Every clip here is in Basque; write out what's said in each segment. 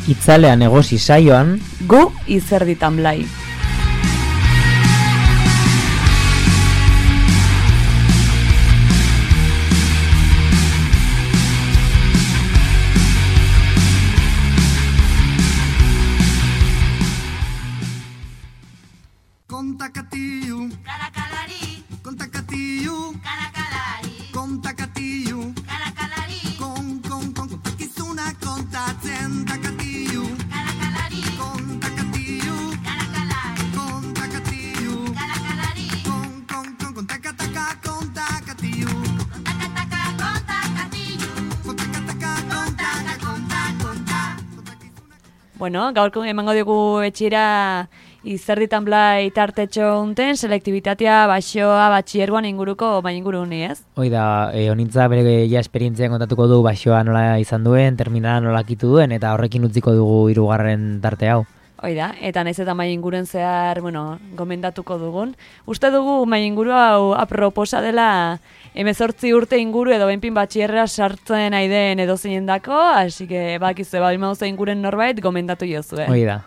Itzalean egosi saioan, gu izerditan blai. Bueno, gaurko emango dugu etxira izerditan blai tartetxo unten, selektibitatea, baxoa, batxiergoan inguruko, inguru honi, ez? Hoi da, honintza bere ja esperientzian kontatuko du baxoa nola izan duen, terminala nola kitu duen, eta horrekin utziko dugu 3. tarte hau. Hoi da, eta naiz eta inguren zehar, gomendatuko dugun. Uste dugu inguru hau aproposa dela 18 urte inguru edo benpin batxierra sartzen aiden edo zeinendako, hasi que bakizue badimauza inguren norbait gomendatu jozue. Hoi da.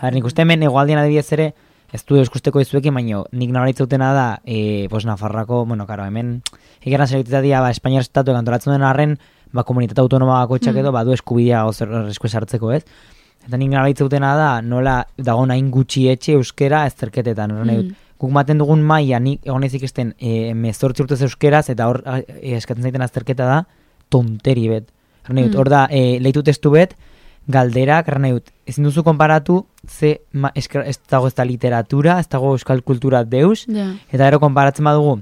Nik uste hemen egoaldian adibidez ere, ez du euskusteko izuekin, baina nik nabaritzutena da, Nafarroako, hemen, egeran selektitatea, Espainiar estatu antolatzen den arren, komunitate autonoma bakoitzak edo, badu eskubidea esku esartzeko, ez? Eta nik nabaritzutena da, nola dago nahin gutxi etxe euskera ezterketetan, guk maten dugun maila, nik egon ezik esten 18 urtez euskeraz, eta hor eskatzen zaiten azterketa da, tonteri bet. Hor da, leitu testu bet, galderak, ezin duzu konparatu, ez dago ez da literatura, ez dago euskal kultura deus, eta gero konparatzen badugu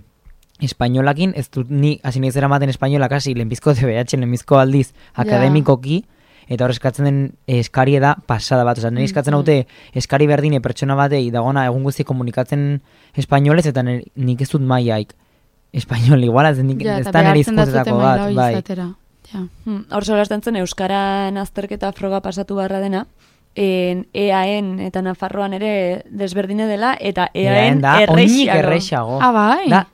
espainolakin, ez dut ni hasi nahi zera maten espainolak hasi lehenbizko DBH, lehenbizko aldiz akademikoki, eta hor eskatzen den eskari da pasada bat, nire eskatzen haute eskari berdine pertsona batei dagona egun guzti komunikatzen espainolez, eta nik ez dut maiaik espainol igual, ez da nire izkuntzetako bat, bai. Hor solasten zen euskaran azterketa froga pasatu barra dena, EAN eta Nafarroan ere desberdine dela, eta EAN errexago. Da,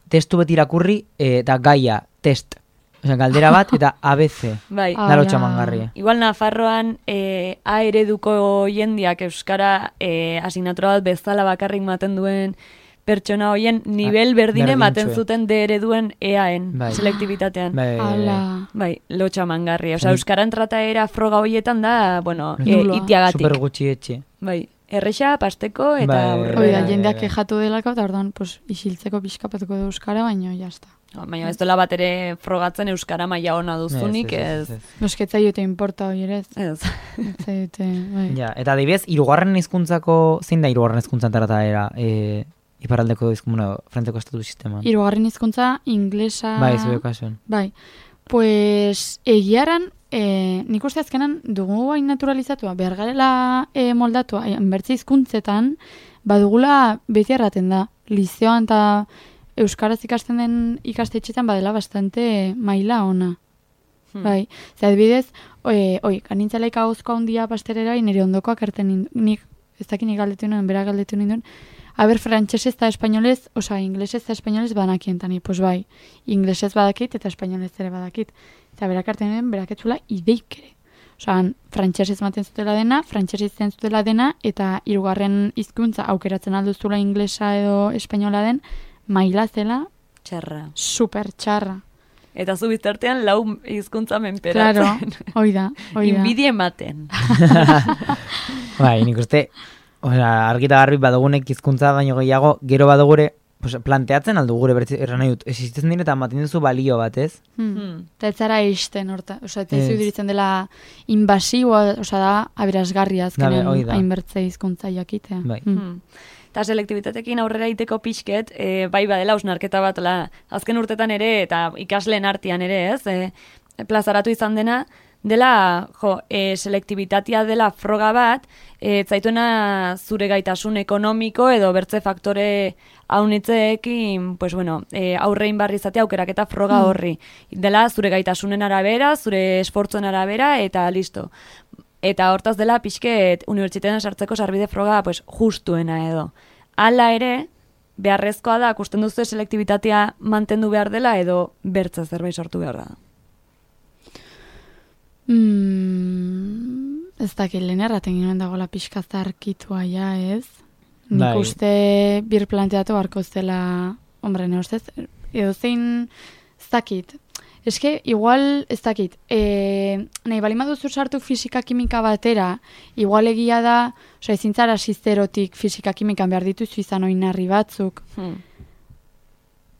testu beti irakurri, eta gaia, test. Galdera bat, eta ABC. Bai. Dalo txamangarria. Igual Nafarroan A ereduko jendiak euskara asignatura bat bezala bakarrik maten duen pertsona hoien nivel berdine maten zuten D ereduen EAN, selektibitatean. Bai, lotxa mangarri. Euskaran trataera froga hoietan da, itiagatik. Super gutxi etxe. Bai, errexa, pasteko, eta hori da, jendeak kejatu delako, eta orduan, isiltzeko pixkapatuko du euskara, baina jazta. Baina ez dola bat ere frogatzen euskara maila ona duzunik, ez. Nosketza jote importa hori ere, ez. Ja, eta adibidez, 3. hizkuntzako, zein da 3. hizkuntzan trataera, iparraldeko frenteko estatu sistema. 3. hizkuntza, inglesa... Bai, zure kasuan. Bai. Pues, egiaran, nik uste azkenan dugu hain naturalizatua, behar garela moldatua, bertze hizkuntzetan, badugula beti erraten da. Lizeoan eta euskaraz ikasten den ikastetxetan badela bastante maila ona. Bai. Zer adibidez, kanintzalaik ahozko handia pasterera, nire ondokoak erten nik, ez dakin galdetu nuen, bera galdetu ninduen, frantsesez eta espainolez, inglesez eta espainolez banakientani, pues bai, inglesez badakit eta espainolez ere badakit. Eta berak hartzen den, berak etzula ideik ere. Frantsesez maten zutela dena, frantsesez zen zutela dena, eta 3. hizkuntza aukeratzen alduztula inglesa edo espainola den, maila zela, txarra. Super txarra. Eta zu biztartean 4 hizkuntza menperatzen. Claro, hoi da. Inbidi ematen. Bai, nik uste... argita garbi badugunek hizkuntza baino gehiago, gero badugure planteatzen aldu gure erran nahi dut, existitzen dira eta maten duzu balio bat, ez? Eta ez zara eisten, eta ez diritzen dela inbasiboa, da aberasgarria azkenen hainbertze hizkuntza jakitea. Bai. Eta selektibitatekin aurrera iteko pixket, bai badela hausnarketa bat, azken urtetan ere, eta ikasleen artean ere, ez? Plazaratu izan dena, dela, selektibitatea dela froga bat, zaituena zure gaitasun ekonomiko edo bertze faktore haunitzeekin, pues bueno, aurrein barri izatea aukeraketa froga horri. Dela zure gaitasunen arabera, zure esfortzuen arabera, eta listo. Eta hortaz dela pixket unibertsitatean sartzeko sarbide froga pues, justuena edo. Hala ere, beharrezkoa da, akusten duzu selektibitatea mantendu behar dela edo bertza zerbait sortu behar da. Ez dakit, lehen erraten ginoen dagoela pixka zarkitua ja, ez? Nik uste bir planteatu barko zela, hombre, ne ustez, edo zein ez dakit. Eske, igual, ez dakit, nahi balima duzu sartu fisika-kimika batera, igual egia da, oza, ezintzara sisterotik fisika-kimikan behar dituzu izan oinarri batzuk,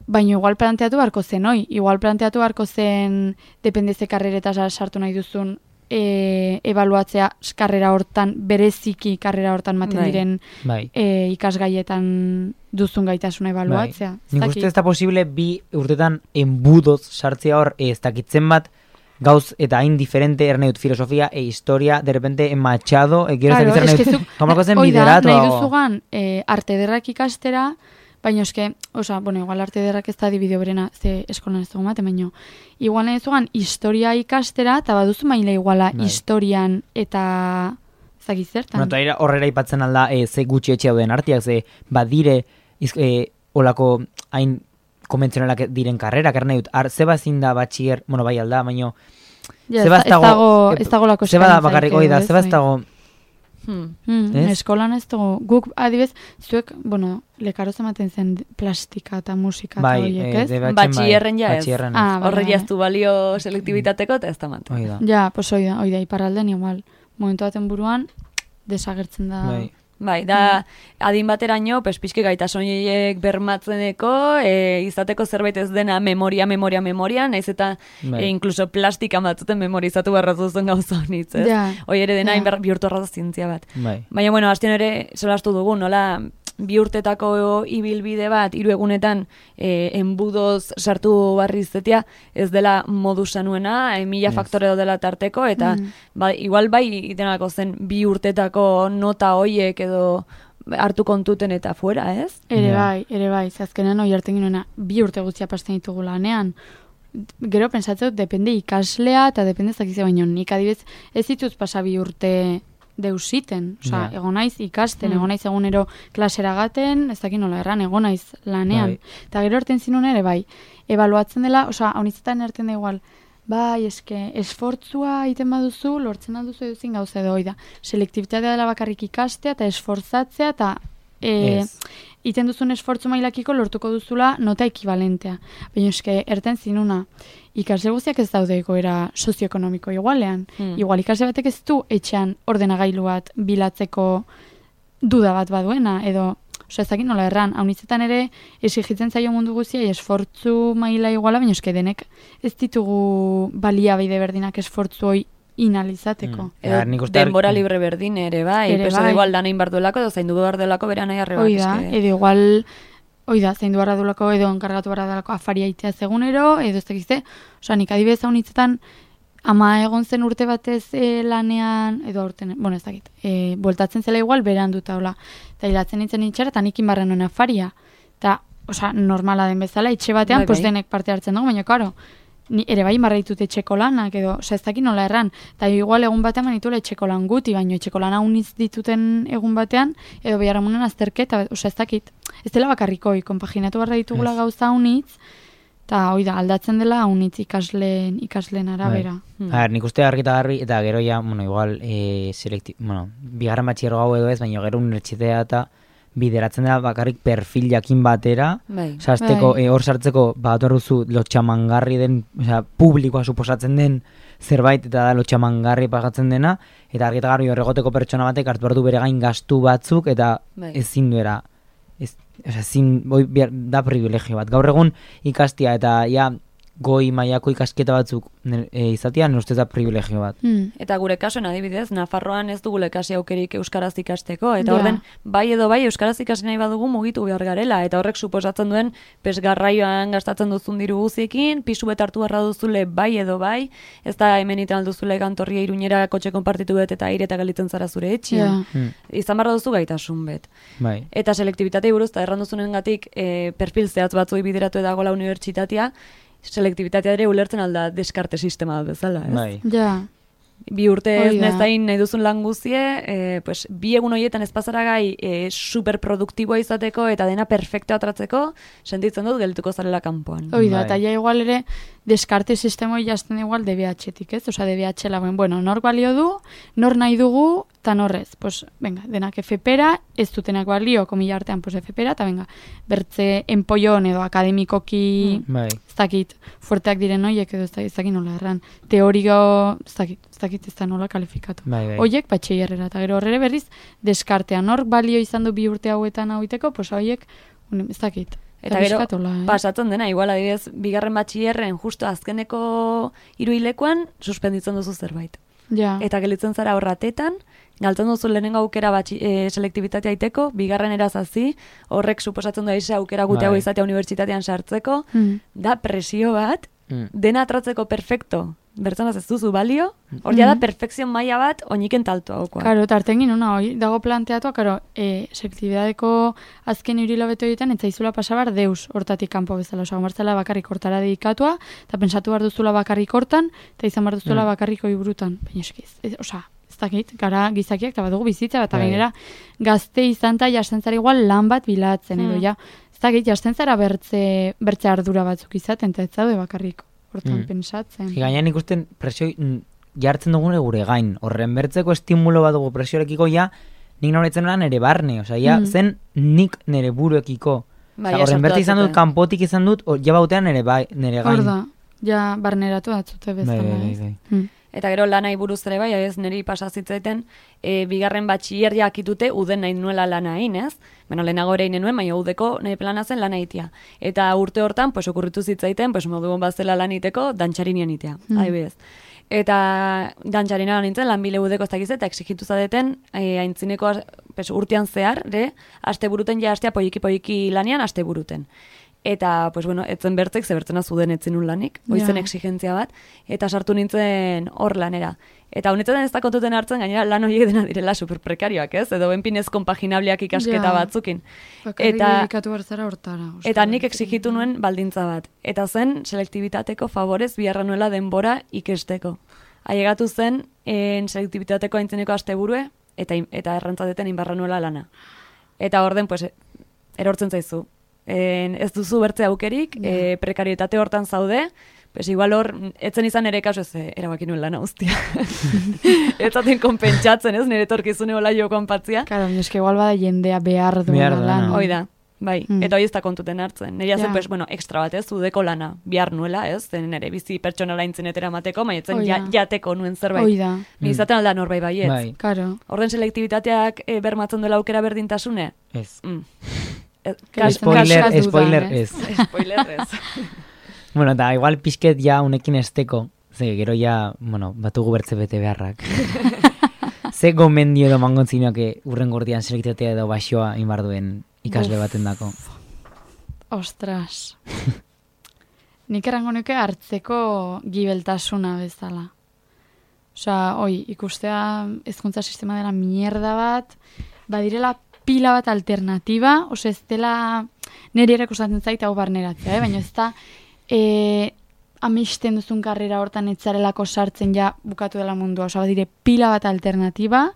baina igual planteatu barko zen, igual planteatu barko zen, depende ze karreretaz sartu nahi duzun, ebaluatzea karrera hortan, bereziki karrera hortan maten diren ikasgaietan duzun gaitasuna ebaluatzea. Nik uste ez da posible bi urtetan enbudoz sartzea hor, ez dakitzen bat, gauz eta hain diferente ernedut filosofia historia, de repente Machado, quiero claro, ernedut, komako zen bideratua. Nahi duzugan arte derrak ikastera, baina eske, oza, bueno, igual arte derrak ez da dibideo berena, ze eskolan ez dugu maten, baina igual nahi duzugan historia ikastera, eta baduzu maila iguala historian eta zakizertan. Bueno, eta horrela ipatzen alda, ze gutxi etxe dauden artiak, ze badire olako hain konbentzionalak diren karrerak, nahi dut, zeba ezin da batxier, bueno, bai alda, baina zeba ez dago lako zeba da bakarrik da, zeba ez dago eskolan ez dugu, guk adibez, zuek, bueno, lekaroz ematen zen plastika eta musika eta horiek, ez? Batxierren ja ez. Horre jaztu balio selektibitateko eta ez da mantu. Ja, pues oida, iparralden igual. Momentu baten buruan, desagertzen da. Bai, da adin bateraino, pizke gaitasoiek bermatzeneko, izateko zerbait ez dena memoria, naiz eta inkluso plastikan batzuten memorizatu barrazuzen gauza honitz, ez? Hoi ere dena bihurtu arrazo zientzia bat. Baina, bueno, hastion ere solastu dugu, nola bi urtetako ibilbide bat, 3 egunetan enbudoz sartu barri izetia, ez dela modu sanuena, 1000 faktore dela tarteko, eta igual bai denako zen 2 urtetako nota hoiek edo hartu kontuten eta fuera, ez? Ere bai, zazkenean hoi hartzen ginoena 2 urte guztia pasten ditugu lanean. Gero pensatzeu, depende ikaslea eta depende zakize baino, nik adibez ez dituz pasa 2 urte deusiten, oza, egon naiz ikasten, egon naiz egunero klasera gaten, ez dakit nola erran, egon naiz lanean. Eta gero erten zinun ere, bai, ebaluatzen dela, oza, haunitzetan erten da igual, bai, eske, esfortzua egiten baduzu, lortzen alduzu eduzin gauza edo, oida, selektibitatea dela bakarrik ikastea, eta esfortzatzea, eta iten duzun esfortzu mailakiko lortuko duzula nota ekibalentea. Baina eske, erten zinuna, ikasle guztiak ez daude egoera sozioekonomiko igualean. Igual ikasle batek ez du etxean ordenagailu bat bilatzeko duda bat baduena, edo, oza, ez dakit nola erran, haunitzetan ere exigitzen zaio mundu guztia esfortzu maila iguala, baina eske denek ez ditugu baliabide berdinak esfortzu hoi inalizateko. Denbora libre berdin ere, bai. Peso igual da nahin barduelako, edo zaindu behar duelako bera nahi arreba. Edo igual, zaindu behar duelako, edo enkargatu behar duelako afaria itea zegunero, edo ez dakizte, oza, nik adibidez haunitzetan, ama egon zen urte batez lanean, edo aurten, bueno, ez dakit, bueltatzen zela igual, beran dut haula. Eta hilatzen nintzen itxera, eta nik inbarren nuen afaria. Eta, oza, normala den bezala, etxe batean, pues denek parte hartzen dugu, baina, karo, ni ere bai marraitut etxeko lanak, edo, oza, ez dakit nola erran. Eta igual egun batean manitula etxeko lan guti, baina etxeko lan hauniz dituten egun batean, edo beharamunen azterketa, oza, ez dakit. Ez dela bakarrikoi, konpaginatu barra ditugula gauza haunitz, eta hoi da, aldatzen dela haunitz ikasleen arabera. Nik uste argi eta garbi, eta gero ja, bueno, igual, bigarren batxierro gau edo ez, baina gero unibertsitea eta bideratzen dela bakarrik perfil jakin batera, azteko, hor sartzeko, bat horrezu lotxamangarri den, publikoa suposatzen den zerbait, eta da lotxamangarri pagatzen dena, eta argi eta garbi horregoteko pertsona batek hartu behar du bere gain gastu batzuk, eta ezin duera, da privilegio bat. Gaur egun ikastia, eta ja, goi mailako ikasketa batzuk izatea, ustez da privilegio bat. Eta gure kasuan adibidez, Nafarroan ez dugu lekasi aukerik euskaraz ikasteko, eta orden, bai edo bai euskaraz ikasi nahi badugu mugitu behar garela, eta horrek suposatzen duen, garraioan gastatzen duzun diru guziekin, pisu bet hartu barra duzule bai edo bai, ez da hemen iten alduzule Gantorria Iruñera kotxe konpartitu bet eta aire eta galitzen zara zure etxean. Izan barra duzu gaitasun bet. Bai. Eta selektibitatei buruz, eta erranduzunengatik perfil zehatz batzuei bideratu edagola unibertsitatea, selektibitatea ere ulertzen alda deskarte sistema bezala, ez? Bai. Ja. Bi urte ez nezain nahi duzun lan guzie, pues, bi egun horietan ez pasaragai superproduktiboa izateko eta dena perfecto atratzeko, sentitzen dut gelituko zarela kanpoan. Oida, eta ja igual ere deskarte sistemoi jazten igual DBH-etik, ez? Osa, DBH lagoen, bueno, nor balio du, nor nahi dugu, eta norrez. Pues, venga, denak FP-ra, ez dutenak balio, komila artean, pues FP-ra, eta venga, bertze enpoion edo akademikoki, ez dakit, fuerteak diren hoiek edo ez dakit nola erran. Teorio, ez dakit ez da nola kalifikatu. Hoiek, batxeierrera, eta gero horre berriz, deskartean, nor balio izan du 2 urte hauetan hauiteko, pues hoiek, ez dakit. Eta gero, pasatzen dena, igual adibidez, 2. batxillerren justo azkeneko hiruhilekoan suspenditzen duzu zerbait. Ja. Eta gelitzen zara horratetan, galtzen duzu lehenengo aukera selektibitatea aiteko, 2. erazazi, horrek suposatzen da isa aukera guteago izatea unibertsitatean sartzeko, da presio bat, dena atratzeko perfecto, bertzanaz ez duzu balio, hor da perfekzion maila bat oiniken taltu haukoa. Karo, eta artengin una hoi, dago planteatua, karo, selektibidadeko azken hiruhilabeto egiten, ez zaizula pasabar deus hortatik kanpo bezala, osa, gomartzela bakarrik hortara dedikatua, eta pensatu behar duzula bakarrik hortan, eta izan behar duzula bakarrik oiburutan. Baina eskiz, osa, ez dakit, gara gizakiak, eta badugu bizitza, eta gainera gazte izan eta jasten zara igual lan bat bilatzen, edo ja, ez dakit, jasten zara bertze ardura batzuk izaten, eta ez zaude bakarrik hortan pensatzen. Gainean ikusten presio jartzen dugune gure gain. Horren bertzeko estimulo bat dugu presiorekiko ja, nik noretzen lan ere barne. Osa, ja, zen nik nere buruekiko. Horren bertze izan dut, kanpotik izan dut, ja bautean nere gain. Horda, ja barneratu datzute bezala. Eta gero lanai buruz ere bai, ez niri pasazitzaiten, 2. batxiller jakitute uden nahi nuela lana egin, ez? Bueno, lehenago ere egin nuen, baina udeko nire plana zen lana egitea. Eta urte hortan, pues, okurritu zitzaiten, pues, modu bazela lan egiteko, dantxarinian egitea, adibidez. Eta dantxarinan nintzen, lanbile udeko ez dakiz, eta exigitu zadeten, aintzineko urtean zehar, aste buruten ja astea poiki lanian, aste buruten. Eta, pues bueno, etzen bertzek, zebertzena zuden etzen un lanik, oizen exigentzia bat, eta sartu nintzen hor lanera. Eta honetan ez da kontuten hartzen, gainera lan horiek dena direla superprekarioak, ez? Edo benpinez konpaginableak ikasketa batzukin. Eta nik exigitu nuen baldintza bat. Eta zen, selektibitateko favorez biharra nuela denbora ikesteko. Ailegatu zen, selektibitateko aintzeneko asteburue, eta errantzateten inbarra nuela lana. Eta orden, pues, erortzen zaizu. Ez duzu bertze aukerik, prekarietate hortan zaude, pues igual hor, etzen izan ere kasu ez erabaki nuen lana guztia. Ez zaten konpentsatzen, ez, nire torkizune hola jo konpatzia. Claro, eske igual bada jendea behar duela lan. Oida, bai, eta hoi ez da kontuten hartzen. Nire zen, pues, bueno, ekstra bat ez, udeko lana behar nuela, ez, zen nire bizi pertsonala intzenetera mateko, maietzen jateko nuen zerbait. Oida. Izaten alda norbait baietz. Bai. Claro. Orden selektibitateak bermatzen duela aukera berdintasune? Ez. Spoiler ez. Spoiler ez. Bueno, eta igual pixket ja unekin esteko, ze gero ja, bueno, batugu bertze bete beharrak. Ze gomendio edo mangontzineak urren gordian selektitatea edo baxoa inbar duen ikasle baten dako. Ostras. Nik erango nuke hartzeko gibeltasuna bezala. Osea, ikustea hezkuntza sistema dela mierda bat, badirela pila bat alternatiba, ose ez dela niri erakustatzen zait hau barneratzea, baina ez da amisten duzun karrera hortan etzarelako sartzen ja bukatu dela mundua, osa badire pila bat alternatiba,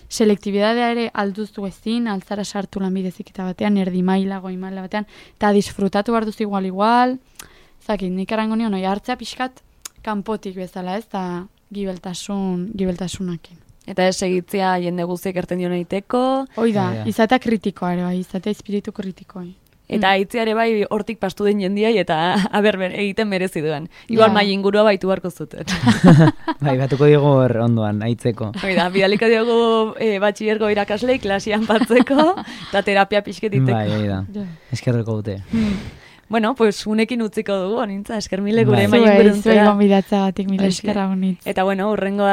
selektibidadea ere alduztu ezin, altzara sartu lanbidezik eta batean, erdi maila, goi maila batean, eta disfrutatu behar duzu igual, zakit, nik erango nion, hartzea pixkat kanpotik bezala, ez da gibeltasunakin. Eta ez segitzea jende guztiek erten dion egiteko. Oida, izatea kritikoa ere bai, izatea espiritu kritikoa. Eta aitzea ere bai hortik pastu den jendiai eta egiten merezi duen. Igual mai ingurua baitu beharko zuten. Bai, batuko diogu ondoan, aitzeko. Oida, bidaliko diogu batxillergo irakasleik klasian batzeko, eta terapia pixketiteko. Bai, oida, eskerreko dute. Bueno, pues unekin utziko dugu, nintza, esker mile gure maien beruntzera. Zuei gonbidatzagatik, mila esker agunitz. Eta bueno, urrengo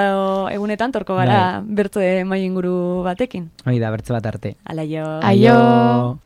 egunetan torko gara bertze maien guru batekin. Hoi da, bertze bat arte. Alaio. Aio.